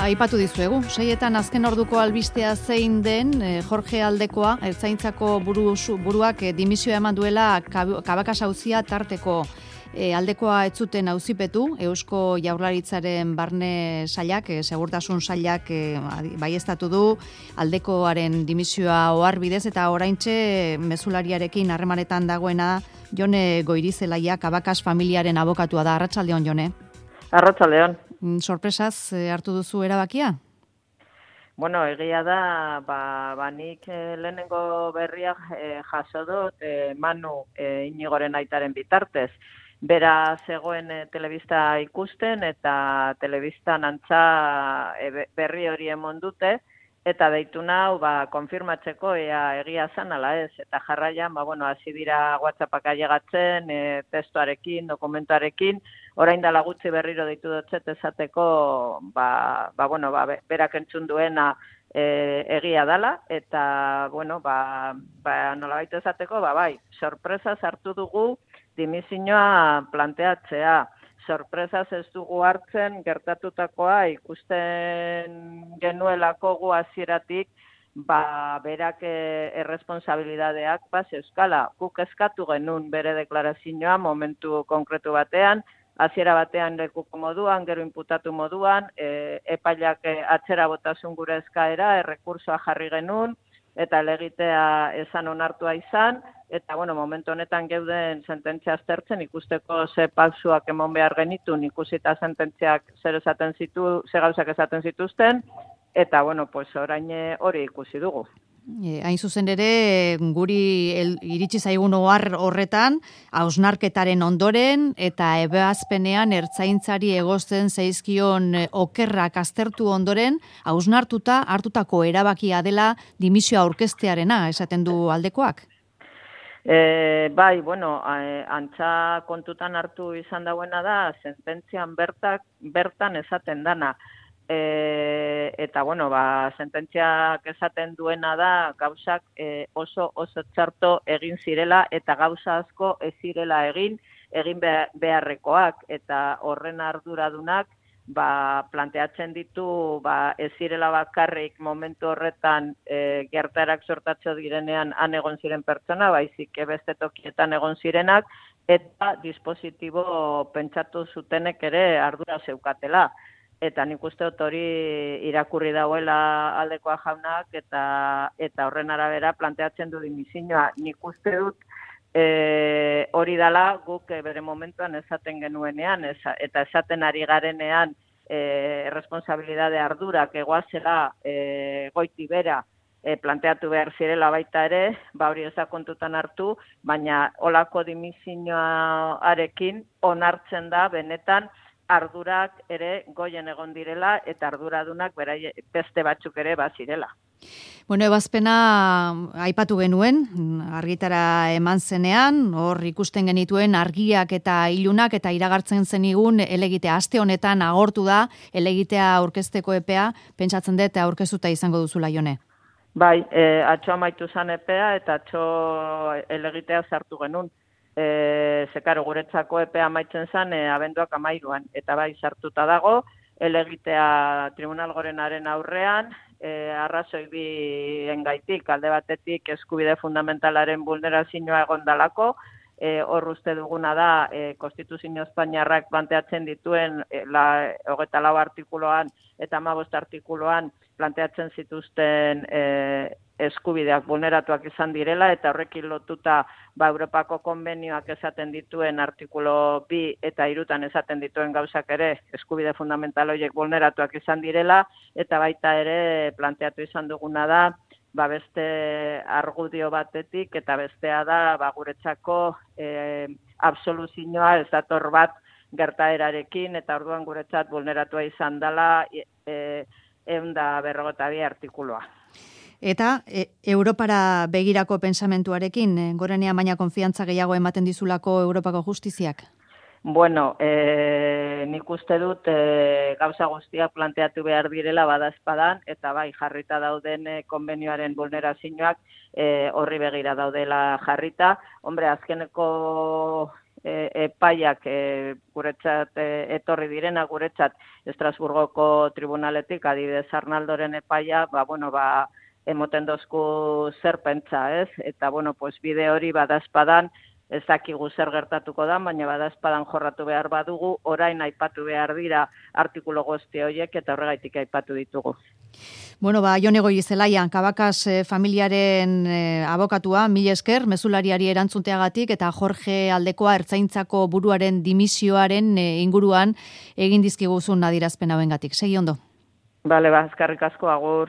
aipatu dizuegu. 6etan azken orduko albistea zein den, Jorge Aldekoa, Ertzaintzako buruak dimisioa eman duela Cabacas auzia tarteko. Aldekoa ez zuten auzipetu, Eusko Jaurlaritzaren barne sailak, segurtasun sailak baieztatu du Aldekoaren dimisioa oharbidez, eta oraintxe mezulariarekin harremanetan dagoena Jone Goirizelaia, Cabacas familiaren abokatua da. Arratsaldeon, Jone. Arratsaldeon. Sorpresaz hartu duzu erabakia? Bueno, egia da, nik lehenengo berriak jaso dut Manu Inigoren aitaren bitartez. Bera zegoen telebista ikusten eta telebistan antza berri hori emon dute, eta deitu nau konfirmatzeko ea egia zen ala ez. Eta jarraian, hasi dira WhatsAppak ailegatzen, testuarekin, dokumentuarekin, orain dela gutxi berriro deitu dutzet esateko, berak entzun duena egia dala, eta, nolabait esateko, bai, sorpresaz hartu dugu dimisioa planteatzea. Sorpresaz ez dugu hartzen gertatutakoa ikusten genuelako gu hasieratik, berak erresponsabilidadeak euskala. Guk eskatu genuen bere deklarazioa momentu konkretu batean, hasiera batean lekuko moduan, gero inputatu moduan, epaileak atzera botasun gure eskaera, errekursoa jarri genuen, eta elegitea esan onartua izan, eta momentu honetan geuden sententzia aztertzen ikusteko ze pausuak emon behar genitun, ikusita sententziak zer gauzak esaten zituzten, eta orain hori ikusi dugu. Hain zuzen ere, guri iritsi zaigun ohar horretan, hausnarketaren ondoren eta ebazpenean ertzaintzari egozten zaizkion okerrak aztertu ondoren, hausnartuta hartutako erabakia dela dimisioa aurkeztearena, esaten du Aldekoak? Antza kontutan hartu izan dauena da, sententzian bertan esaten dana. Eta, sententziak esaten duena da, gauzak oso txarto egin zirela, eta gauza asko ez zirela egin beharrekoak, eta horren arduradunak, planteatzen ditu, ez zirela bakarrik momentu horretan gertaerak sortatzo direnean han egon ziren pertsona, baizik beste tokietan egon zirenak, eta dispositibo pentsatu zutenek ere ardura zeukatela. Eta nik uste dut hori irakurri dauela Aldekoa jaunak, eta horren arabera planteatzen du dimisioa. Nik uste dut hori dala guk bere momentuan esaten genuenean, eta esaten ari garenean responsabilidade ardurak egoazela goiti bera planteatu behar zirela baita ere, hori ez da kontutan hartu, baina olako dimisioarekin onartzen da benetan ardurak ere goien egon direla eta arduradunak beste batzuk ere bazirela. Ebazpena aipatu genuen, argitara eman zenean, hor ikusten genituen argiak eta ilunak, eta iragartzen zenigun elegitea. Aste honetan agortu da elegitea aurkezteko epea, pentsatzen dut aurkeztuta izango duzula, Jone. Bai, atxo amaitu zan epea eta atxo elegitea sartu genuen. Zekaro guretzako epea amaitzen zen abenduak 13an, eta bai sartuta dago, elegitea Tribunal Gorenaren aurrean, arrazoi biengaitik, alde batetik eskubide fundamentalaren vulnerazioa egondalako, hor uste duguna da Konstituzio Espainiarrak planteatzen dituen 24 artikuluan eta 15 artikuluan planteatzen zituzten eskubideak vulneratuak izan direla, eta horrekin lotuta Europako konbenioak esaten dituen artikulo 2 eta 3 esaten dituen gauzak ere eskubide fundamental horiek vulneratuak izan direla, eta baita ere planteatu izan duguna da beste argudio batetik, eta bestea da guretzako absoluzioa ez dator bat gertaerarekin, eta orduan guretzat vulneratua izan dela 152 artikuloa. Eta Europara begirako pensamentuarekin, Gorenean baina konfiantza gehiago ematen dizulako Europako justiziak? Nik uste dut gauza guztiak planteatu behar direla badaezpadan, eta bai jarrita dauden konbenioaren vulnerazioak horri begira daudela jarrita. Azkeneko epaiak guretzat etorri direna, guretzat Estrasburgoko tribunaletik, adibidez Arnaldoren epaia, emoten dozku zer pentsa, ez? Eta, pues bide hori badazpadan, ez dakigu zer gertatuko da, baina badazpadan jorratu behar badugu, orain aipatu behar dira artikulu guzti horiek eta horregaitik aipatu ditugu. Jone Goirizelaia, Kabakas familiaren abokatua, mila esker, mezulariari erantzunteagatik, eta Jorge Aldekoa ertzaintzako buruaren dimisioaren inguruan egin dizkiguzun adierazpen hauengatik. Segi ondo. Bale, eskerrik asko, agur.